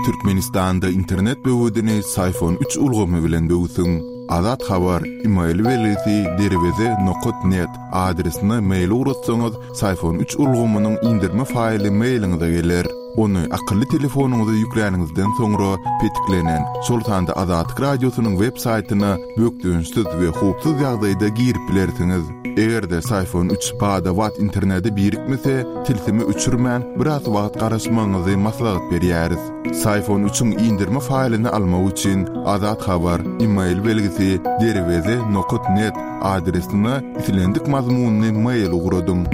Türkmenistanda internet böwedini Syfon üç ulgamy bilen böwsüň. Azat Habar, email belgisi derweze nokat net adresine mail ugratsaňyz, Syfon üç ulgamynyň indirme faýly mailiňize geler. Ony akylly telefonyňyza ýükläniňizden soňra petiklenen, şol sanda Azatlyk Radiosynyň web saýtyna bökdençsiz we howpsuz ýagdaýda girip bilersiňiz. Eger-de Syfon üç bada-bat internete birikmese, tilsimi öçürmän, biraz wagt garaşmagyňyzy maslahat berýäris. Syfon üçiň indirme faýlyny almak üçin Azat Habar, email belgisi, derweze nokat net adresine islendik mazmunly mail ugradyň.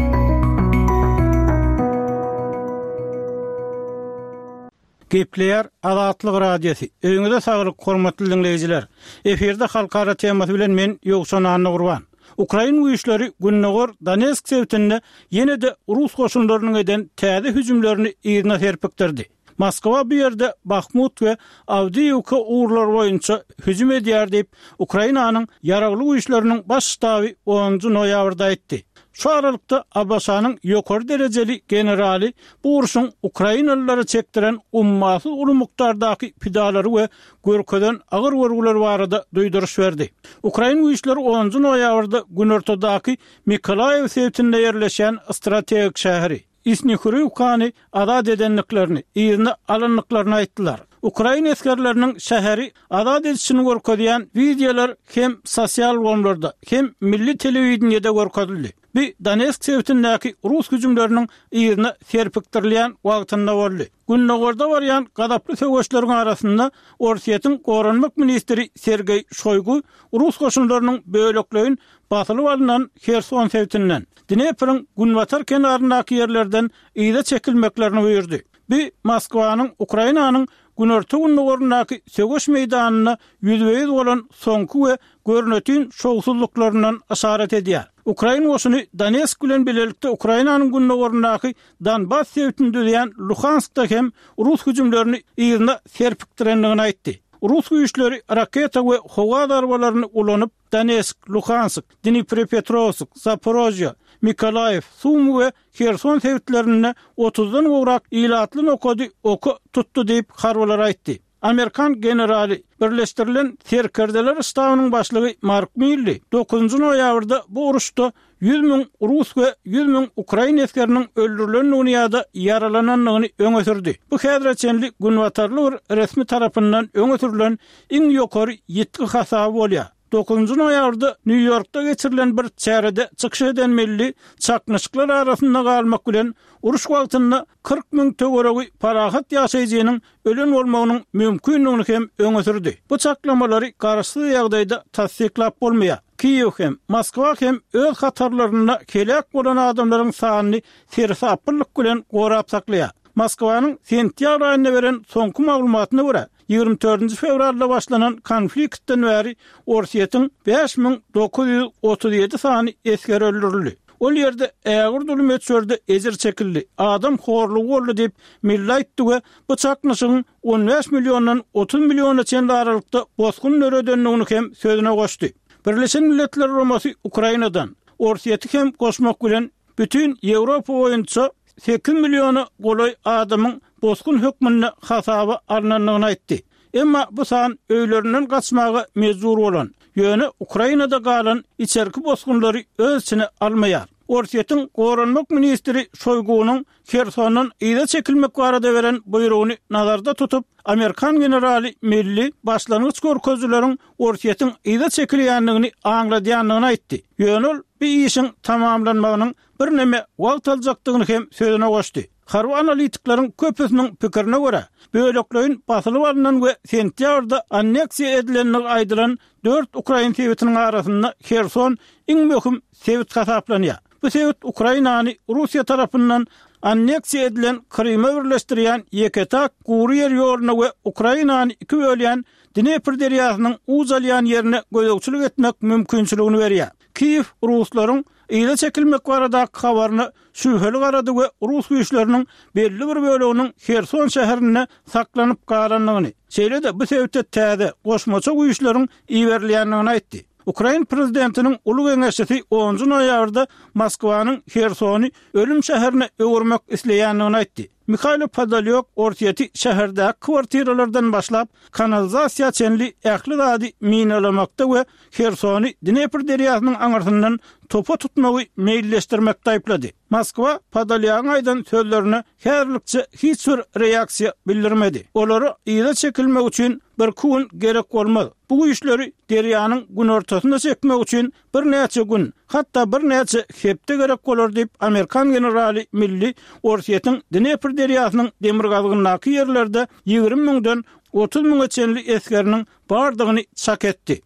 Gepleýär Azatlyk Radiosy. Öýüňize saglyk, hormatly diňleýjiler! Efirde halkara temasy bilen men Ýowşan Annagurban. Ukrain güýçleri gündogar Donetsk sebitinde ýene-de rus goşunlarynyň eden täze hüjümlerini yzyna serpikdirdi. Moskwa bu ýerde Bahmut we Awdiýewka ugurlary boýunça hüjüm edýär diýip, Ukrainanyň Ýaragly Güýçleriniň Baş ştaby onunjy noýabrda aýtdy. Şu aralykda, ABŞ-nyň ýokary derejeli generaly bu urşuň ukrainalylara çekdiren ummasyz uly mukdardaky pidalary we görkezen agyr görgüleri barada duýduryş berdi. Ukrain güýçleri onunjy noýabrda günortadaky Mykolaýiw sebitinde ýerleşýän strategik şäheri, Isnihuriwkany azat edendiklerini, yzyna alandyklaryny aýtdylar. Ukrain esgerleriniň şäheri azat edişini görkezýän wideolar hem sosial ulgamlarda, hem milli telewideniýede görkezildi. Bu Donetsk sebitindäki rus hüjümleriniň yzyna serpikdirilýän wagtynda boldy. Gündogarda barýan gazaply söweşleriň arasynda Orsýetiň goranmak ministri Sergeý Şoýgu rus goşunlarynyň bölekleýin basylyp alnan Herson sebitinden, Dnepriň günbatar kenaryndaky ýerlerden yza çekilmeklerini buýurdy. Bu Moskwanyň Ukrainanyň günorta-gündogaryndaky söweş meýdanynda ýüzbe-ýüz bolan soňky we görnetin şowsuzlyklaryndan yşarat edýär. Ukrain goşuny Donetsk bilen bilelikde Ukrainanyň gündogaryndaky Donbass sebitini düzýän Luhanskda hem rus hüjümlerini yzyna serpikdirendigini aýtdy. Rus güýçleri raketa we howa zarbalaryny ulanyp, Donetsk, Luhansk, Dniprepetrowsk, Zaporožýe, Mykolaýiw, Sumy we Herson sebitlerinde otuzdan gowrak ilatly nokady oka tutdy diýip, harbylar aýtdy. Amerikan generaly, Birleşdirilen Serkerdeler ştabynyň başlygy Mark Milli dokuzynjy noýabrda bu uruşda 100 müň rus we 100 müň ukrain esgeriniň öldürilendigini ýa-da ýaralanandygyny öňe sürdi. Bu häzire çenli günbatarly bir resmi tarapyndan öňe sürlen iň ýokary ýitgi hasaby bolýar. Dokuzynjy noýabrda Nýu-Ýorkda geçirilen bir çärede çykyş eden Milli çaknyşyklar arasynda galmak bilen, uruş wagtynda 40 müň töweregi parahat ýaşaýjynyň ölen bolmagynyň mümkindigini hem öňe sürdi. Bu çaklamalary garaşsyz ýagdaýda tassyklap bolmaýar. Kiýew hem, Moskwa hem öz hatarlarynda heläk bolan adamlaryň sanyny seresaplylyk bilen gorap saklaýar. Moskwanyň sentýabr aýynda beren soňky maglumatyna görä, 24 fewralda başlanan konfliktden bäri Orsýetiň 5937 sany esgeri öldürildi. Ol ýerde ägirt uly möçberde ejir çekildi, adam horlugy boldy diýip, Milli aýtdy we bu çaknyşygyň 15 milliondan 30 milliona çenli aralykda bosgun döredendigini hem sözüne goşdy. Birleşen Milletler Guramasy Ukrainadan, Orsýeti hem goşmak bilen, bütin Ýewropa boýunça sekiz milliona golaý adamyň bosgun hökmünde hasaba alnandygyny aýtdy. Emma bu san öýlerinden gaçmaga mejbur bolan, ýöne Ukrainada galan içerki bosgunlary öz içine almaýar. Orsýetiň goranmak ministri Şoýgunyň Hersondan yza çekilmek barada beren buýrugyny nazarda tutup, amerikan generaly Milli başlangyç görkezijileriň Orsýetiň yza çekilýändigini aňladýandygyny aýtdy. Ýöne ol bu işiň tamamlanmagynyň birneme wagt aljakdygyny hem sözüne goşdy. Harby analitikleriň köpüsiniň pikirine görä, bölekleýin basylyp alnan we sentýabrda anneksiýa edilendigi aýdylan dört ukrain sebitiniň arasynda Herson iň möhüm sebit hasaplanýar. Bu sebit Ukrainany Russiýa tarapyndan anneksiýa edilen Kryma birleşdirýän ýeke-täk gury ýer ýoluna we Ukrainany iki bölýän Dnepr derýasynyň uç alýan ýerine gözegçilik etmek mümkinçiligini berýär. Kiýew ruslaryň yza çekilmek baradaky habaryna şübheli garady we rus güýçleriniň belli bir böleginiň Herson şäherinde saklanyp galandygyny, şeýle-de bu sebite täze, goşmaça güýçleriň iberilýändigini aýtdy. Ukrain prezidentiniň uly geňeşçisi onunjy noýabrda Moskwanyň Hersony ölüm şäherine öwürmek isleýändigini aýtdy. Mihailo Podolýak Orsýeti şäherdäki kwartiralardan başlap, kanalizasiýa çenli ähli zady minalamakda we Hersony Dnepr derýasynyň aňyrsyndan topa tutmagy meýilleşdirmekde aýyplady. Moskwa Podolýagyň aýdan sözlerine häzirlikçe hiç bir reaksiýa bildirmedi. Olara yza çekilmek üçin birki gün gerek bolmaz. Bu güýçleri derýanyň günortasyna çekmek üçin birnäçe gün, hatda birnäçe hepde gerek bolar diýip, amerikan generaly Milli Orsýetiň Dnepr derýasynyň demirgazygyndaky ýerlerde 20 müňden 30 müňe çenli esgeriniň bardygyny çak etdi.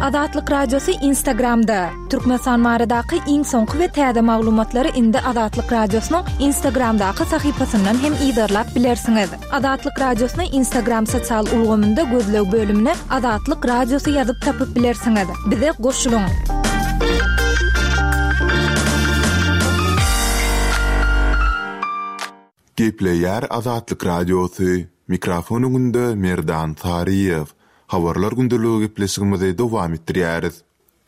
Azatlyk Radiosy Instagramda, Türkmenistan baradaky iň soňky we täze maglumatlary indi Azatlyk Radiosynyň Instagramdaky sahypasyndan hem yzarlap bilersiňiz. Azatlyk Radiosyny Instagram sosial ulgamynda gözleg bölümine Azatlyk Radiosy ýazyp tapyp bilersiňiz. Bize goşulyň! Gepleýär Azatlyk Radiosy, Mikrofon öňünde Merdan Saryýew. Habarlar gündeligi gepleşigimizi dowam etdirýäris.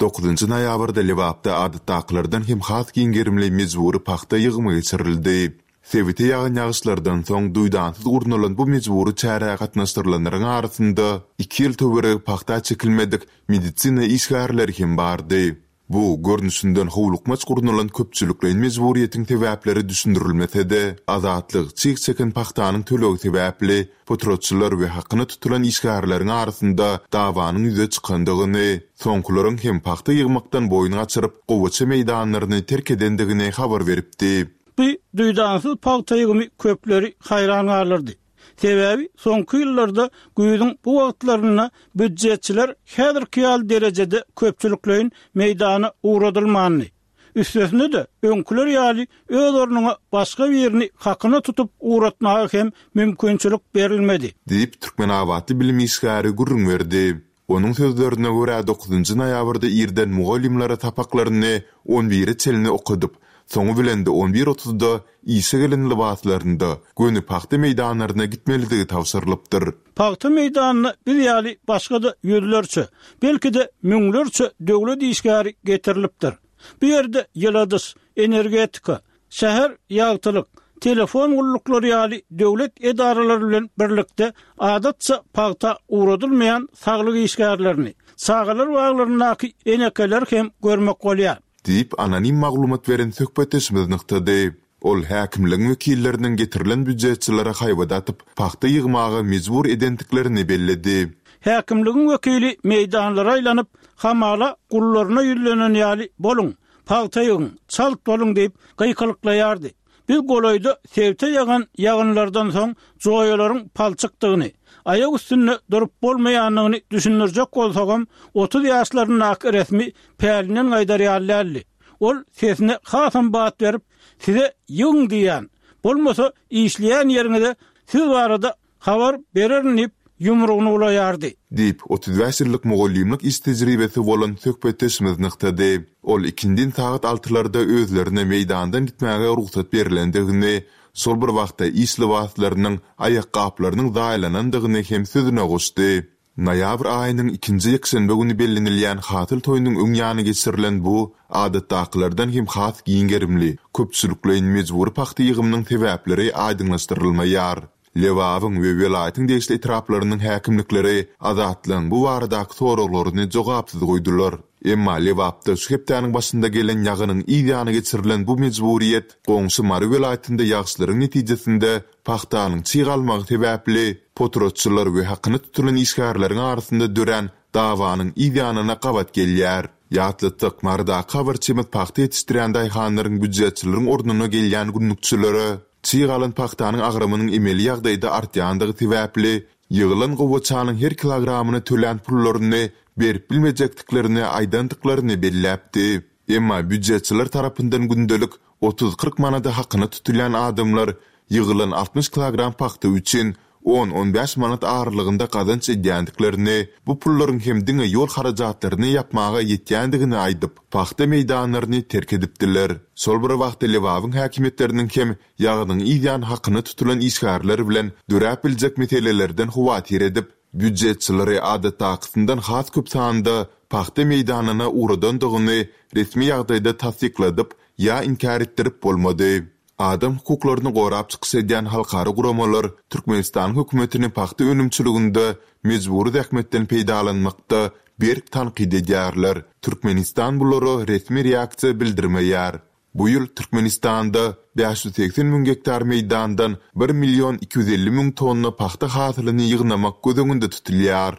Dokuzynjy noýabrda Lebapda adatdakylardan hem has giň gerimli mejbury pagta ýygymy geçirildi. Sebite ýagan ýagyşlardan soň duýdansyz gurnalan bu mejbury çärä gatnaşdyrylanlaryň arasynda iki ýyl töweregi pagta çekilmedik medisina işgärleri hem bardy. Bu, görnüşinden howlukmaç gurnalan köpçülikleýin mejburyýetiň sebäpleri düşündirilmese-de, Azatlyk çyg çeken pagtanyň tölegi sebäpli potratçylar we hakyna tutulan işgärleriň arasynda dawanyň ýüze çykandygyny, soňkularyň hem pagta ýygmakdan boýun gaçyryp, gowaça meýdanlaryny terk edendigini habar beripdi. Bu duýdansyz pagta ýygymy köpleri haýran galdyrdy. Sebäbi soňky ýyllarda güýzüň bu wagtlarynda býujetçiler häzirki ýaly derejede köpçülikleýin meýdana ugradylmandy. Üstesine-de, öňküler ýaly öz ornuňa başga birini hakyna tutup ugratmaga hem mümkinçilik berilmedi. Diýip, türkmenabatly bilim işgäri gürrüň berdi. Onuň sözlerine görä, dokuzynjy noýabrda irden mugallymlara sapaklaryny on bire çenli okadyp, soňy bilen-de on bir otuzda işe gelen lybaslarynda göni pagta meýdanlaryna gitmelidigi tabşyrylypdyr. Pagta meýdanyna biz ýaly başga-da ýüzlerçe, belki-de müňlerçe döwlet işgäri getirilipdir. Bu ýerde ýyladyş, energetika, Şäher ýagtylyk, telefon gulluklary ýaly döwlet edaralary bilen birlikde adatça pagta ugradylmaýan saglyk işgärlerini, çagalar baglaryndaky enekeleri hem görmek bolýar. Diýip, anonim maglumat beren söhbetdeşimiz nygtady. Ol häkimligiň wekilleriniň getirilen býujetçilere haýbat atyp, pagta ýygmaga mejbur edendiklerini belledi. Häkimligiň wekili meýdanlara aýlanyp, hamala gullaryna ýüzlenen ýaly, Boluň, Pagta ýygyň, çalt boluň diýip, gykylyklaýardy. Biz golaýda sebite ýagan ýagynlardan soň joýalaryň palçykdygyny, aýak üstünde durup bolmaýandygyny düşündirjek bolsagam, 30 ýaşlaryndaky resmi pälinden gaýdar ýaly däldi. Ol sesine hasam bat berip, Size ýygyň diýýän, bolmasa işleýän ýeriňize siz barada Habar bererin diýip, ýumrugyny bulaýardy. Diýip, 35 ýyllyk mugallymlyk iş tejribesi bolan söhbetdeşimiz nygtady. Ol ikindin sagat altylarda özlerine meýdandan gitmäge rugsat berlendigini, şol bir wagtda iş lybaslarynyň, aýakgaplarynyň zaýalanandygyny hem sözüne goşdy. Noýabr aýynyň ikinji ýekşenbe güni bellenilýän Hasyl toýunyň öň ýany geçirilen bu, adatdakylardan hem has giň gerimli, köpçülikleýin mejbury pagta ýygymynyň sebäpleri aýdyňlaşdyrylmaýar. Lebabyň we welaýatyň degişli etraplarynyň häkimlikleri Azatlygyň bu baradaky soraglaryny jogapsyz goýdular. Emma Lebapda şu hepdäniň başynda gelen ýagynyň yz ýany geçirilen bu mejburyýet goňşy Mary welaýatynda ýagyşlaryň netijesinde Pagtanyň çyg almagy sebäpli, potratçylar we hakyna tutulan işgärleriň arasynda dörän dawanyň yz ýanyna gabat gelýär. Ýatlatsak, Marydaky habarçymyz pagta ýetişdirýän daýhanlaryň býujetçileriň ornuna gelýän günlükçilere çyg alan pagtanyň agramynyň emeli ýagdaýda artýandygy sebäpli, ýygylan gowaçanyň her kilogramyna tölän pullaryny berip bilmejekdiklerini aýdandyklaryny belläpdi. Emma býujetçiler tarapyndan gündelik Otuz-kyrk manada hakyna tutulýan adamlar ýygylan 60 kilogram pagta üçin on-on bäş manat aralygynda gazanç edýändiklerini, bu pullaryň hem diňe ýol harajatlaryny ýapmaga ýetýändigini aýdyp, pagta meýdanlaryny terk edipdiler. Şol bir wagtda Lebabyň häkimiýetleriniň hem ýagynyň yz ýany hakyna tutulan işgärler bilen döräp biljek meselelerden howatyr edip, Býujetçileri adatdakysyndan has köp sanda pagta meýdanyna ugradandygyny resmi ýagdaýda tassykladyp ýa inkär etdirip bolmady. Adam hukuklaryny gorap çykyş edýän halkara guramalar Türkmenistanyň hökümetini pagta önümçiliginde mejbury zähmetden peýdalanmakda berk tankyt edýärler. Türkmenistan bulara resmi reaksiýa bildirmeýär. Bu ýyl Türkmenistanda 580 müň gektar meýdandan bir million 250 müň tonna pagta hasylyny ýygnamak göz öňünde tutulýar.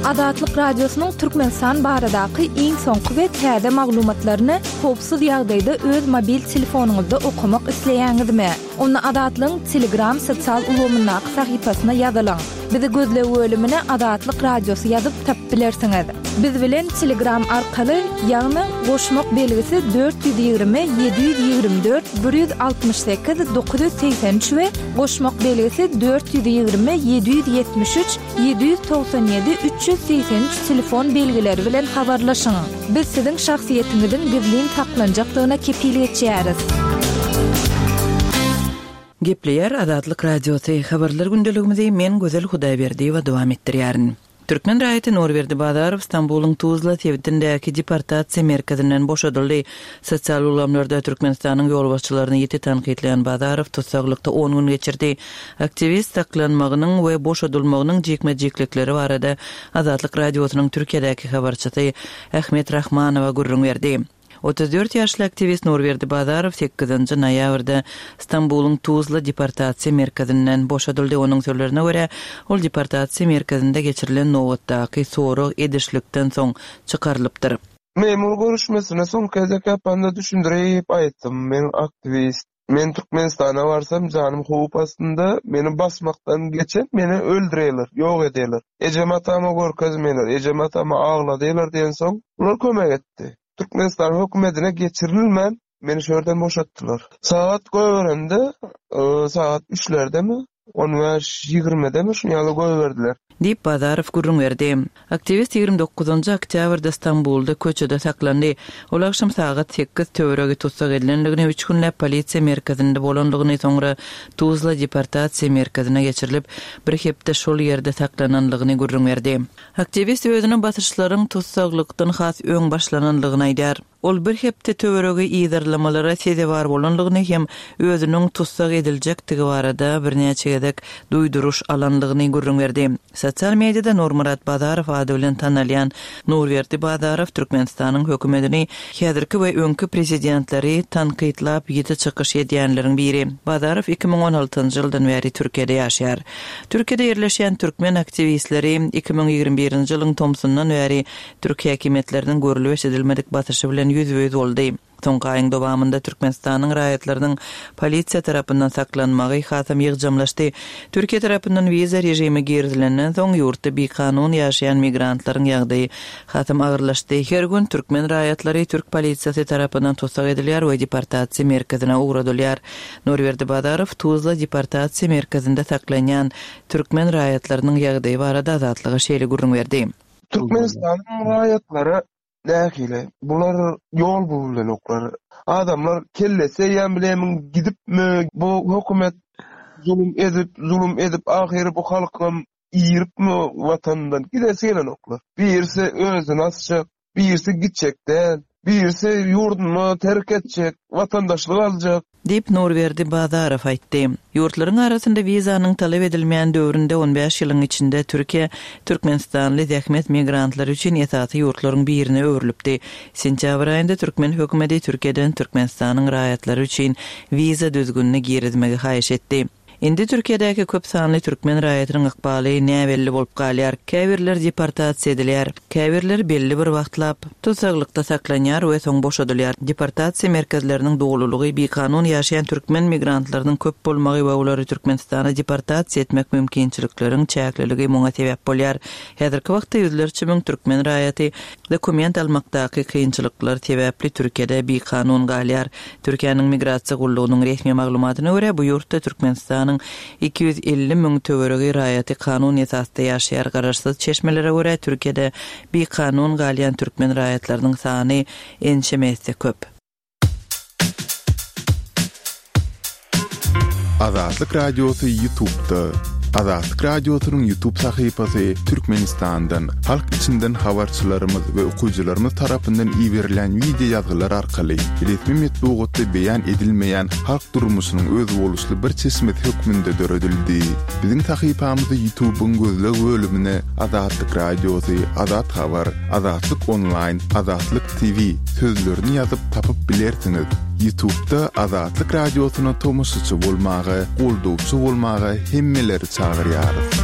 Azatlyk Radiosynyň Türkmenistan baradaky iň soňky we täze maglumatlaryny howpsuz ýagdaýda öz mobil telefonyňyzda okamak isleýäňizmi? Onda Azatlygyň Telegram sosial ulgamyndaky sahypasyna ýazylyň. Bizi gözleg bölümine Azatlyk Radiosy ýazyp tapyp bilersiňiz. Biz bilen Telegram arkaly, ýagny goşmak belgisi 420 724 168 983 we goşmak belgisi 420 773 797 383 telefon belgileri bilen habarlaşyň. Biz siziň şahsyýetiňiziň gizlin saklanjakdygyna kepil geçýäris. Gepleýär Azatlyk Radiosy, Habarlar gündeligimizi men Gözel Hudaýberdiýewa dowam etdirýärin. Türkmen raýaty Nurberdi Bazarow Stambulyň Tuzla sebitindäki deportasiýa merkezinden boşadyldy. Sosial ulgamlarda Türkmenistanyň ýolbaşçylaryny ýiti tankytlaýan Bazarow tussaglykda on gün geçirdi. Aktiwist saklanmagynyň we boşadylmagynyň jikme-jiklikleri barada Azatlyk Radiosynyň Türkiýedäki habarçysy Ahmet Rahmanowa gürrüň berdi. 34 ýaşly aktiwist Nurberdi Bazarow sekizinji noýabrda Stambulyň Tuzla deportasiýa merkezinden boşadyldy. Onuň sözlerine görä, ol deportasiýa merkezinde geçirilen nobatdaky sorag edişlikden soň çykarylypdyr. Memur görüşmesine soňky gezek ýapanda düşündirip aýtdym, men aktiwist. Men Türkmenistana barsam janym howp astynda, meni basmakdan geçen meni öldürerler, ýok ederler. Ejem atama görkezmeýler, ejem atamy agladýarlar diýensoň, bular kömek etdi. Türkmenistan hökümetine geçirilmän meni şu ýerden boşatdylar. Sagat goýberende, sagat üçlerdemi, On bäş, ýigrimidemi şuny ýaly goýberdiler. Diýip, Bazarow gürrüň berdi. Aktiwist 29 oktýabrda Stambulda köçede saklandy. Ol agşam sagat sekiz töweregi tussag edilendigini, üç günläp polisiýa merkezinde bolandygyny, soňra Tuzla deportasiýa merkezine geçirilip, bir hepde şol ýerde saklanandygyny gürrüň berdi. Aktiwist özüne basyşlaryň tussaglykdan has öň başlanandygyny aýdýar. Ol bir hepde töweregi yzarlamalara sezewar bolandygyny hem özüniň tussag ediljekdigi barada birnäçe gezek duýduryş alandygyny gürrüň berdi. Sosial mediada Nurmyrat Bazarow ady bilen tanalýan Nurberdi Bazarow Türkmenistanyň hökümetini, häzirki we öňki prezidentleri tankytlap ýiti çykyş edýänleriň biri. Bazarow 2016-njy ýyldan bäri Türkiýede ýaşaýar. Türkiýede ýerleşýän türkmen aktiwistleri 2021-nji ýylyň tomsundan bäri Türk häkimiýetleriniň görlüp-eşidilmedik basyşy bilen ýüzbe-ýüz boldy. Soňky aýyň dowamynda Türkmenistanyň raýatlarynyň polisiýa tarapyndan saklanmagy hasam ýygjamlaşdy. Türkiýe tarapyndan wiza režimi girizilenden soň, ýurtda bikanun ýaşaýan migrantlaryň ýagdaýy hasam agyrlaşdy. Her gün türkmen raýatlary türk polisiýasy tarapyndan tussag edilýär we deportasiýa merkezine ugradylýar. Nurberdi Bazarow Tuzla deportasiýa merkezinde saklanýan türkmen raýatlarynyň ýagdaýy barada Azatlyga şeýle gürrüň berdi. Türkmenistanyň raýatlary nähili? Bular ýol bulubilenoklar. Adamlar kellesi eýýäm bilemin gidipmi? Bu hökümet zulum edip, zulum edip ahyry bu halkam iripmi watanyndan gidesi gelenoklar. Birisi özüni asjak, birisi gitjek däl, birisi ýurduny terk etjek, watandaşlyk aljak. Diýip, Nurberdi Bazarow aýtdy. Ýurtlaryň arasynda wizanyň talap edilmeýän döwründe on bäş ýylyň içinde Türkiýe türkmenistanly zähmet migrantlary üçin esasy ýurtlaryň birine öwrülipdi. Sentýabr aýynda türkmen hökümeti Türkiýeden Türkmenistanyň raýatlary üçin wiza düzgünini girizmegi haýyş etdi. Indi Türkiýedäki köp sanly türkmen raýatynyň ykbaly näbelli bolup galýar. Käbirleri deportasiýa edilýär. Käbirleri belli bir wagtlap tussaglykda saklanýar we soň boşadylýar. Deportasiýa merkezleriniň dolulygy, bikanun ýaşaýan türkmen migrantlarynyň köp bolmagy we olary Türkmenistana deportasiýa etmek mümkinçilikleriň çäkliligi muňa sebäp bolýar. Häzirki wagtda ýüzlerçe müň türkmen raýaty dokument almakdaky kynçylyklar sebäpli Türkiýede bikanun galýar. Türkiýäniň Migrasiýa gullugynyň resmi maglumatyna görä, bu ýurtda Türkmenistanyň 250 müň töweregi raýaty kanun esasda ýaşaýar. Garaşsyz çeşmelere görä, Türkiýede bikanun galýan türkmen raýatlarynyň sany ençeme esse köp. Azatlyk Radiosy YouTube'da. Azatlyk Radiosynyň YouTube sahypasy Türkmenistandan, halk içinden habarçylarymyz we okyjylarymyz tarapyndan iberilýän wideo ýazgylar arkaly resmi metbugatda beýan edilmeýän halk durmuşynyň özboluşly bir çeşmesi hökmünde döredildi. Biziň sahypamyzy YouTube-yň gözleg bölümine Azatlyk Radiosy, Azat Habar, Azatlyk Onlaýn, Azatlyk TV sözlerini ýazyp tapyp bilersiňiz. Ýutubda Azatlyk Radiosyna tomaşaçy bolmaga, goldawçy bolmaga hemmeleri çagyrýarys.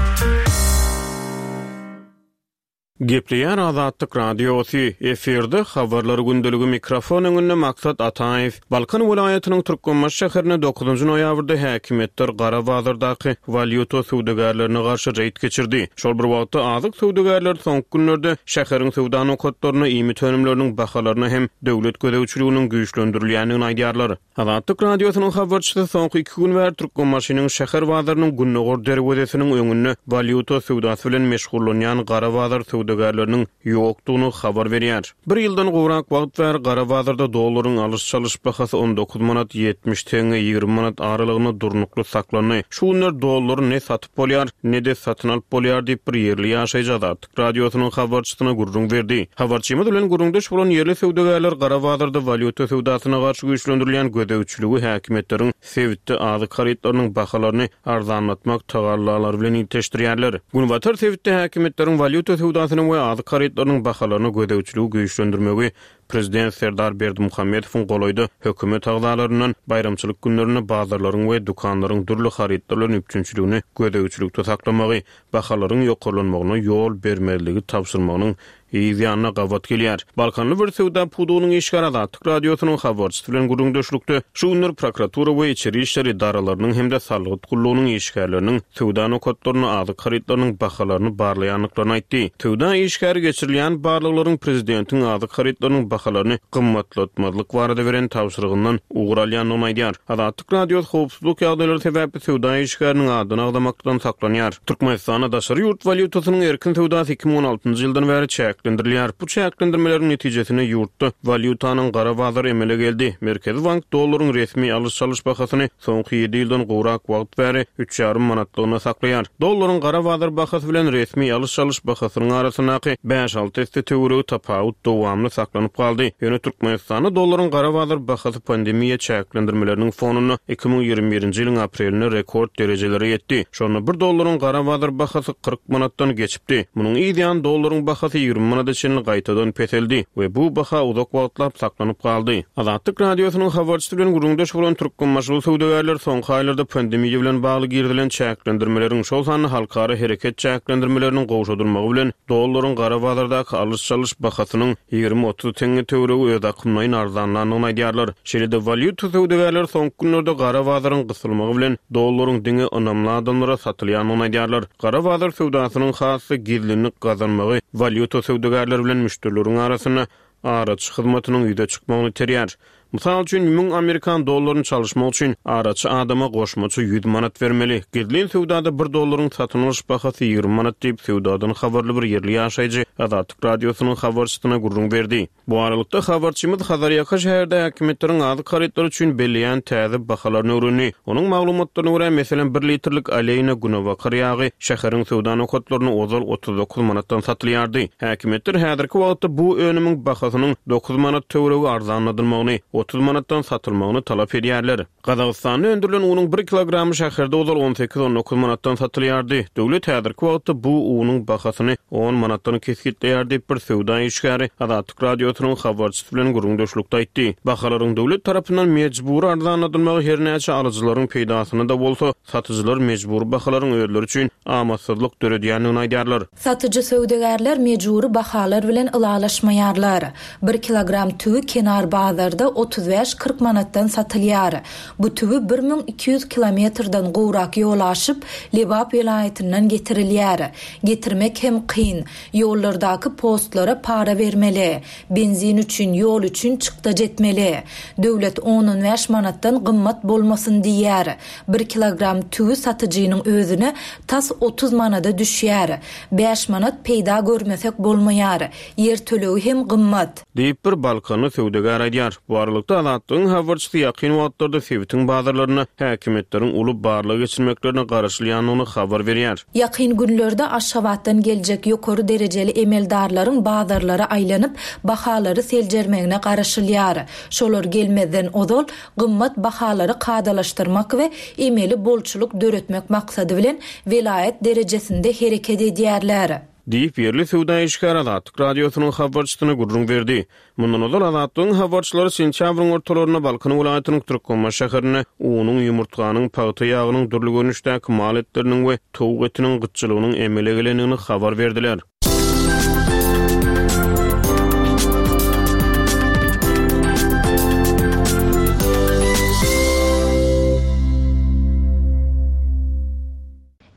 Gepleýär Azatlyk Radiosy, efirde Habarlar gündeligi mikrofon öňünde Maksat Ataýew. Balkan welaýatynyň Türkmenbaşy şäherinde dokuzynjy noýabrda häkimiýetler gara bazardaky walýuta söwdagärlerine garşy reýd geçirdi. Şol bir wagtda, azyk söwdagärleri soňky günlerde şäheriň söwda nokatlarynda iýmit önümleriniň bahalaryna hem döwlet gözegçiliginiň güýçlendirilýändigini aýdýarlar. Azatlyk Radiosynyň habarçysy soňky iki gün bäri Türkmenbaşynyň şäher bazarynyň gündogar derwezesiniň öňünde walýuta söwdasy bilen meşgullanýan gara bazar söwdagärleriniň ýokdugyny habar berýär. Bir ýyldan gowrak wagt bäri gara bazarda dollaryň alyş-çalyş bahasy 19 manat 70 teňňe 20 manat aralygynda durnukly saklandy. Şu günler dollary ne satyp bolýar, ne-de satyn alyp bolýar diýip, bir ýerli ýaşaýjy Azatlyk Radiosynyň habarçysyna gürrüň berdi. Habarçymyz bilen gürrüňdeş bolan ýerli söwdagärler gara bazarda walýuta söwdasyna garşy güýçlendirilýän gözegçiligi häkimiýetleriň sebitde azyk harytlarynyň bahalaryny arzanlatmak tagallalary bilen ilteşdirýärler. Günbatar sebitde häkimiýetleriň walýuta söwdasyna we azyk harytlarynyň bahalaryna gözegçiligi güýçlendirmegi Prezident Serdar Berdimuhamedowyň golaýda hökümet agzalaryndan baýramçylyk günlerinde bazarlaryň we dükanlaryň dürli harytlar bilen üpjünçiligini gözegçilikde saklamagy, bahalaryň ýokarlanmagyna ýol bermezligi tabşyrmagynyň yz ýanyna gabat gelýär. Balkanly bir söwda pudagynyň işgäri Azatlyk Radiosynyň habarçysy bilen gürrüňdeşlikde şu günler prokuratura we içeri işler edaralarynyň hem-de salgyt gullugynyň işgärleriniň söwda nokatlarynda azyk harytlarynyň bahalaryny barlaýandyklaryny aýtdy. Söwda işgäri geçirilýän barlaglaryň prezidentiň azyk harytlarynyň bahalaryny gymmatlatmazlyk barada beren tabşyrygyndan ugur alýandygyny aýdýar. Azatlyk Radiosy howpsuzlyk ýagdaýlary sebäpli söwda işgäriniň adyny agzamakdan saklanýar. Türkmenistanda daşary ýurt walýutasynyň erkin söwdasy 2016-njy ýyldan bäri çäklendirilýär. Bu çäklendirmeleriň netijesinde ýurtda walýutanyň gara bazary emele geldi. Merkezi bank dollaryň resmi alyş-çalyş bahasyny soňky ýedi ýyldan gowrak wagt bäri üç ýarym manatlygyna saklaýar. Dollaryň gara bazar bahasy bilen resmi alyş-çalyş bahasynyň arasyndaky bäş-alty esse töweregi tapawut dowamly saklanyp galdy. Ýöne Türkmenistanda dollaryň gara bazar bahasy pandemiýa çäklendirmeleriniň fonunda 2021-nji ýylyň aprelinde rekord derejelere ýetdi. Şonda bir dollaryň gara bazar bahasy 40 manatdan geçipdi. Munuň yz ýany dollaryň bahasy 20 manada çenli gaýtadan peseldi we bu baha uzak wagtlap saklanyp galdy. Azatlyk Radiosynyň habarçysy bilen gürrüňdeş bolan türkmenbaşyly söwdagärler soňky aýlarda pandemiýa bilen bagly girizilen çäklendirmeleriň, şol sanda halkara hereket çäklendirmeleriniň gowşadylmagy bilen dollaryň gara bazardaky alyş-çalyş bahasynyň 20-30 teňňe töweregi özakymlaýyn arzanlandygyny aýdýarlar. Şeýle-de, walýuta söwdagärleri soňky günlerde gara bazaryň gysylmagy bilen dollaryň diňe ynamly adamlara satylýandygyny aýdýarlar. Gara bazar söwdasynyň has-da gizlinlik gazanmagy walýuta söwdagärleri bilen müşderileriň arasynda araçy hyzmatynyň ýüze çykmagyny iterýär. Mysal üçin, müň amerikan dollaryny çalyşmak üçin araçy adama goşmaça ýüz manat bermeli. Gizlin söwdada bir dollaryň satyn alyş bahasy 20 manat diýip, söwdadan habarly bir ýerli ýaşaýjy Azatlyk Radiosynyň habarçysyna gürrüň berdi. Bu aralykda, habarçymyz Hazarýaka şäherde häkimiýetleriň azyk harytlary üçin belleýän täze bahalaryny öwrendi. Onuň maglumatlaryna görä, meselem, bir litrlik Aleýna günebakar ýagy şäheriň söwda nokatlarynda ozal 39 manatdan satylýardy. Häkimiýetler häzirki wagtda bu önümiň bahasynyň dokuz manat töweregi arzanladylmagyny, 30 manatdan satylmagyny talap edýärler. Gazagystanda öndürilen unuň bir kilogramy şäherde ozal on sekiz-on dokuz manatdan satylýardy. Döwlet häzirki wagtda bu unuň bahasyny on manatdan kesgitleýär diýip, bir söwda işgäri Azatlyk Radiosynyň habarçysy bilen gürrüňdeşlikde aýtdy. Bahalaryň döwlet tarapyndan mejbury arzanladylmagy her näçe alyjylaryň peýdasyna-da bolsa, satyjylar mejbury bahalaryň özleri üçin amatsyzlyk döredýändigini aýdýarlar. Satyjy söwdagärler mejbury bahalar bilen ylalaşmaýarlar. Bir kilogram tüwi kenar bazarda 35-40 manatdan satylýar. Bu tüwi 1200 kilometrden gowrak ýol aşyp, Lebap welaýatyndan getirilýär. Getirmek hem kyn. Ýollardaky postlara para bermeli. Benzin üçin, ýol üçin çykdajy etmeli. Döwlet on-on bäş manatdan gymmat bolmasyn diýýär. Bir kilogram tüwi satyjynyň özüne tas. 30 manada düşýär. Bäş manat peýda görmesek bolmaýar. Ýer tölegi hem gymmat. Diýip, bir balkanly söwdagär aýdýar. Bu aralykda, Azatlygyň habarçysy ýakyn wagtlarda sebitiň bazarlarynda häkimiýetleriň uly barlag geçirmeklerine garaşylýandygyny habar berýär. Ýakyn günlerde Aşgabatdan geljek ýokary derejeli emeldarlaryň bazarlara aýlanyp, bahalary seljermegine garaşylýar. Şolar gelmezden ozal, gymmat bahalary kadalaşdyrmak we emeli bolçulyk döretmek maksady bilen welaýat derejesinde hereket edýärler. Diýip, ýerli söwda işgäri Azatlyk Radiosynyň habarçysyna gürrüň berdi. Mundan ozal, Azatlygyň habarçylary sentýabryň ortalarynda Balkan welaýatynyň Türkmenbaşy şäherinde unuň, ýumurtganyň, pagta ýagynyň, dürli görnüşdäki mal etleriniň we towuk etiniň gytçylygynyň emele gelendigini habar berdiler.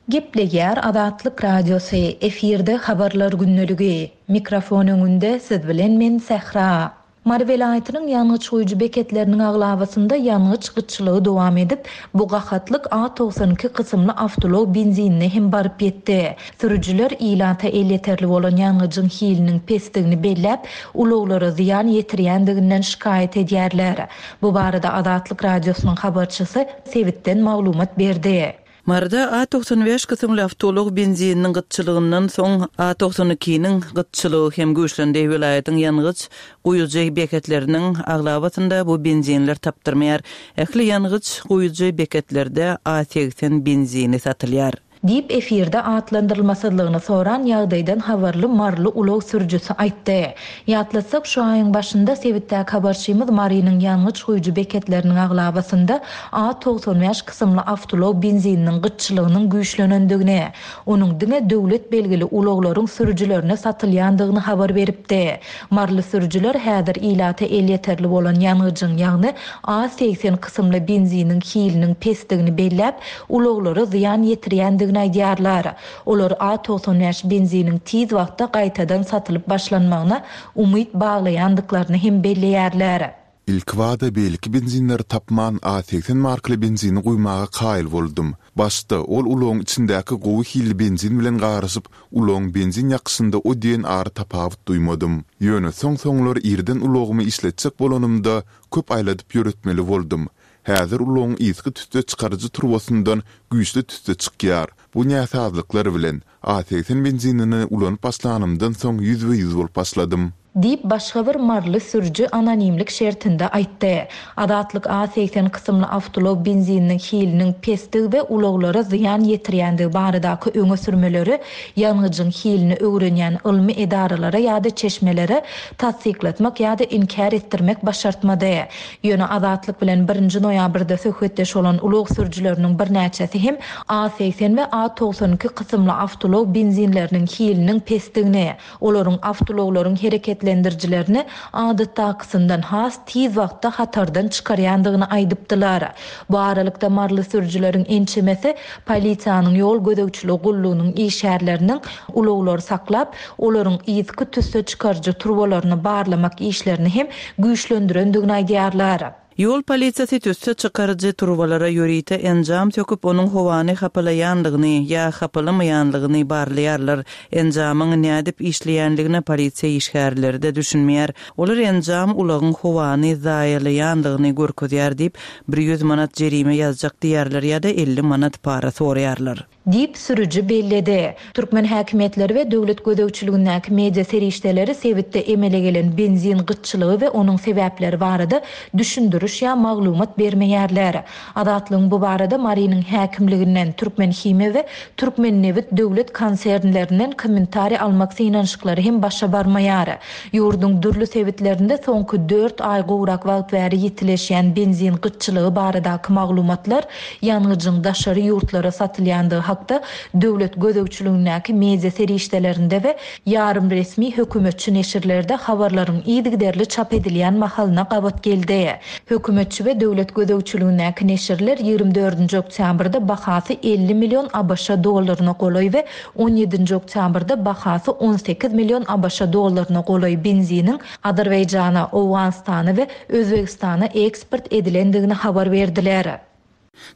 Gepleýär Azatlyk Radiosy, efirde Habarlar gündeligi. Mikrofon öňünde siz bilen men Sähra. Mary welaýatynyň ýangyç guýujy beketleriniň aglabasynda ýangyç gytçylygy dowam edip, bu gahatlyk A 92 kysymly awtoulag benzinine hem baryp ýetdi. Sürüjiler ilata elýeterli bolan ýangyjyň hiliniň pesdigini belläp, ulaglara zyýan ýetirýändiginden şikaýat edýärler. Bu barada Azatlyk Radiosynyň habarçysy sebitden maglumat berdi. Maryda A 95 kysymly awtoulag benzininiň gytçylygyndan soň, A 92-niň gytçylygy hem güýçlendi. Welaýatyň ýangyç guýujy beketleriniň aglabasynda bu benzinler tapdyrmaýar. Ähli ýangyç guýujy beketlerde A 80 benzini satylýar. Diýip, efirde atlandyrylmasyzlygyny soran ýagdaýdan habarly maryly ulag sürüjisi aýtdy. Ýatlatsak, şu aýyň başynda sebitdäki habarçymyz Marynyň ýangyç guýujy beketleriniň aglabasynda A 95 kysymly awtoulag benzininiň gytçylygynyň güýçlenendigini, onuň diňe döwlet belgili ulaglaryň sürüjilerine satylýandygyny habar beripdi. Maryly sürüjiler häzir ilata elýeterli bolan ýangyjyň, ýagny A 80 kysymly benziniň hiliniň pesdigini belläp, ulaglara zyýan ýetirýändigini aýdýarlar. Olar A 95 benziniň tiz wagtda gaýtadan satylyp başlanmagyna umyt baglaýandyklaryny hem belleýärler. Ilkibada beýleki benzinleri tapman A 80 markaly benzini guýmaga kaýyl boldum. Başda ol ulagyň içindäki gowy hilli benzin bilen garyşyp, ulagyň benzin ýakyşynda o diýen ary tapawut duýmadym. Ýöne soň-soňlar irden ulagymy işletjek bolanymda köp aýladyp ýöretmeli boldum. Häzir ulagyň yzky tüsse çykaryjy turbasyndan güýçli tüsse çykýar. Bu näsazlyklar bilen, A 80 benzinini ulanyp başlanymdan soň ýüzbe-ýüz bolup başladym. Diýip, başga bir maryly sürüji anonimlik şertinde aýtdy. Azatlyk A 80 kysymly awtoulag benzininiň hiliniň pesdigi we ulaglara zyýan ýetirýändigi baradaky öňe sürmeleri ýangyjyň hilini öwrenýän ylmy edaralara ýa-da çeşmelere tassyklatmak ýa-da inkär etdirmek başartmady. Ýöne Azatlyk bilen birinji noýabrda söhbetdeş bolan ulag sürüjileriniň birnäçesi hem A 80 we A 92 kysymly awtoulag benzinleriniň hiliniň pesdigini, olaryň awtoulaglaryň hereketlendirijilerini adatdakysyndan has tiz wagtda hatardan çykarýandygyny aýdypdylar. Bu aralykda, maryly sürüjileriň ençemesi polisiýanyň ýol gözegçiligi gullugynyň işgärleriniň ulaglary saklap, olaryň yzky tüsse çykaryjy turbalaryny barlamak işlerini hem güýçlendirendigini aýdýarlar. Ýol polisiýasy tüsse çykaryjy turbalara ýörite enjam söküp, onuň howany hapalaýanlygyny ýa hapalamaýanlygyny barlaýarlar. Enjamyň nädip işleýänligine polisiýa işgärleri-de düşünmeýär. Olar enjam ulagyň howany zaýalaýanlygyny görkezýär diýip, 100 manat jerime ýazjak diýýärler ýa-da 50 manat para soraýarlar. Diýip, sürüji belledi. Türkmen häkimiýetleri we döwlet gözegçiligindäki media serişdeleri sebitde emele gelen benzin gytçylygy we onuň sebäpleri barada düşündiriş ýa maglumat bermeýärler. Azatlygyň bu barada Marynyň häkimliginden, Türkmenhimiýa we Türkmennebit döwlet konsernlerinden kommentariý almak synanyşyklary hem başa barmaýar. Ýurduň dürli sebitlerinde soňky dört aý gowrak wagt bäri ýitileşýän benzin gytçylygy baradaky maglumatlar ýangyjyň daşary ýurtlara satylýandygy hakda döwlet gözegçiligindäki media serişdelerinde we ýarym resmi hökümetçi neşirlerde habarlaryň yzygiderli çap edilýän mahalyna gabat geldi. Hökümetçi we döwlet gözegçiligindäki neşirler 24-nji oktýabrda bahasy 50 million ABŞ dollaryna golaý we 17-nji oktýabrda bahasy 18 million ABŞ dollaryna golaý benziniň Azerbaýjana, Owganystana we Özbegistana eksport edilendigini habar berdiler.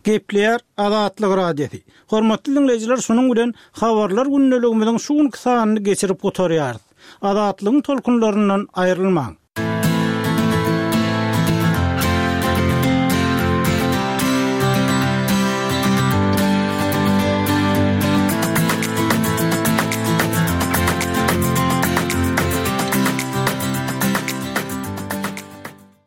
Gepleýär Azatlyk Radiosy. Hormatly diňleýjiler şunuň bilen Habarlar gündeligimiziň şu günki sanyny geçirip gutarýarys. Azatlygyň tolkunlaryndan aýrylmaň.